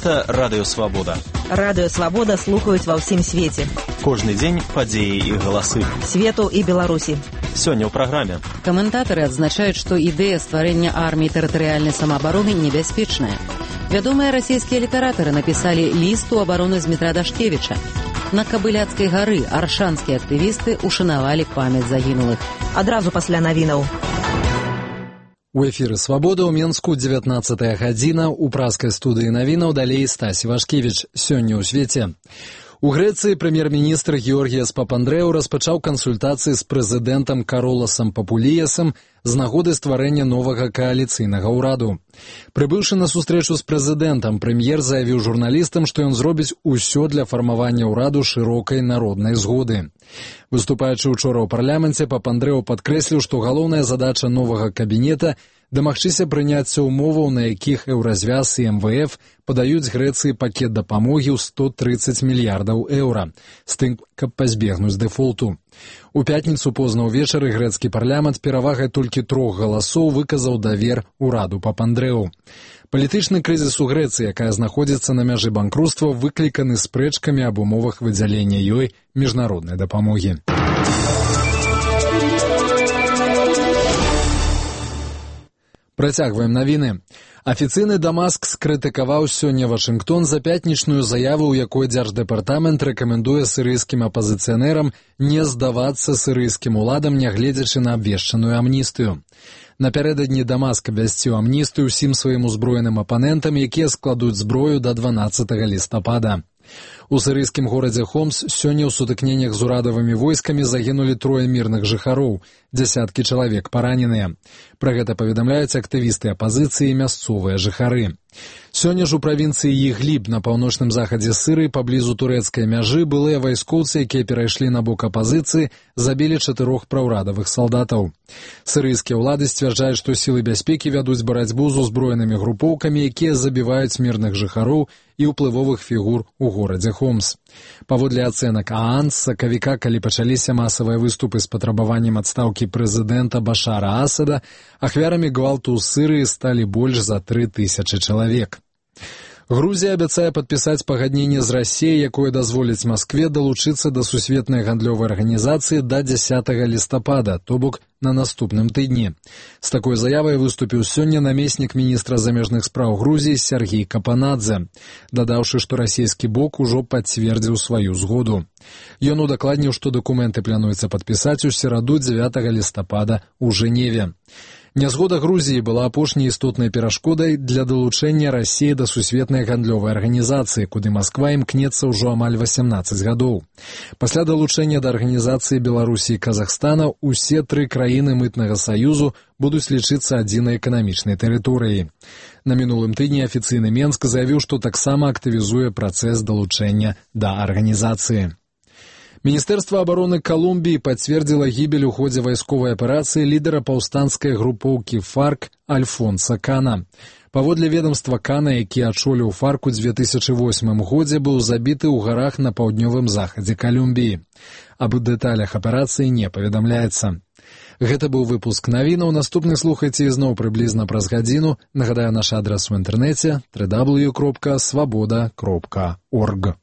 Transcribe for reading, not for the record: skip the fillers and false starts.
Гэта Радыё Свабода. Радыё Свабода слухаюць ва ўсім свеце. Кожны дзень падзеі і галасы. Свету і Беларусі. Сёння ў праграме. Каментатары адзначаюць, што ідэя стварэння арміі тэрытарыяльнай самаабароны небяспечная. Вядомыя расійскія літаратары напісалі ліст у абароны Змітра Дашкевіча. На Кабыляцкай гары аршанскія актывісты ушанавалі памяць загінулых. Адразу пасля навінаў. У эфіры «Свабода» ў Менску 19-я гадзіна. У праскай студыі навінаў далей Стась Івашкевіч. Сёння ў свеце. У Грэцыі прэм'ер-міністр Георгіяс Папандрэу распачаў кансультацыі з прэзідэнтам Кароласам Папуліясам з нагоды стварэння новага кааліцыйнага ўраду. Прыбыўшы на сустрэчу з прэзідэнтам, прэм'ер заявіў журналістам, што ён зробіць усё для фармавання ўраду шырокай народнай згоды. Выступаючы учора ў парламенце, Папандрэу падкрэсліў, што галоўная задача новага кабінета – дамагчыся прыняцця умоваў, на якіх Еўразвяз і МВФ падаюць Грэцыі пакет дапамогі ў 130 мільярдаў еўра, з тым, каб пазбегнуць дэфолту. У пятніцу позна ўвечары грэцкі парламент перавагай толькі 3 галасоў выказаў давер ураду Папандрэу. Палітычны крызіс у Грэцыі, якая знаходзіцца на мяжы банкруцтва, выкліканы спрэчкамі аб умовах выдзялення ёй міжнароднай дапамогі. Працягваем навіны. Афіцыйны Дамаск скрытыкаваў сёння Вашынгтон за пятнічную заяву, у якой дзярждэпартамент рэкамендуе сірыйскім апазіцыянерам не здавацца сірыйскім уладам, нягледзячы на абвешчаную амністыю. Напярэдадні Дамаск абвясціў амністыю ўсім сваім узброеным апанентам, якія складуць зброю да 12 лістапада. У сірыйскім горадзе Хомс сёння ў сутыкненнях з урадавымі войскамі загінулі 3 мірных жыхароў, дзясяткі чалавек параненыя. Пра гэта паведамляюць актывісты апазіцыі і мясцовыя жыхары. Сёння ж у правінцыі Ігліб на паўночным захадзе Сырыі паблізу турэцкай мяжы былыя вайскоўцы, якія перайшлі на бок апазіцыі, забілі 4 праўрадавых салдатаў. Сырыйскія ўлады сцвярджаюць, што сілы бяспекі вядуць барацьбу з узброенымі групоўкамі, якія забіваюць мірных жыхароў і ўплывовых фігур у горадзе Хомс. Паводле ацэнак ААН, з сакавіка, калі пачаліся масавыя выступы з патрабаваннем адстаўкі прэзідэнта Башара Асада, ахвярамі гвалту ў Сырыі сталі больш за 3000 чалавек. Грузія абяцае падпісаць пагадненне з Расіяй, якое дазволіць Маскве далучыцца да сусветнай гандлёвай арганізацыі да 10 лістапада, то бок на наступным тыдні. З такой заявай выступіў сёння намеснік міністра замежных спраў Грузіі Сергей Капанадзе, дадаўшы, што расійскі бок ужо пацвердзіў сваю згоду. Ён удакладніў, што дакументы плануецца падпісаць у сераду 9 лістапада ў Жэневе. Нязгода Грузіі была апошняй істотнай перашкодай для далучэння Расіі да сусветнай гандлёвай арганізацыі, куды Масква імкнецца ўжо амаль 18 гадоў. Пасля далучэння да арганізацыі Беларусі і Казахстана усе 3 краіны мытнага саюзу будуць лічыцца адзінай эканамічнай тэрыторыяй. На мінулым тыдні афіцыйны Менск заявіў, што таксама актывізуе працэс далучэння да арганізацыі. Міністэрства абароны Калумбіі пацвердзіла гібель у ходзе вайсковай аперацыі лідара паўстанцкай групоўкі ФАРК Альфонса Кана. Паводле ведамства, Кана, які ачоліў ФАРК у 2008 годзе, быў забіты ў гарах на паўднёвым захадзе Калумбіі. Аб дэталях аперацыі не паведамляецца. Гэта быў выпуск навінаў. Наступны слухайце ізноў прыблізна праз гадзіну. Нагадаю, наш адрас у інтэрнэце www.swaboda.org.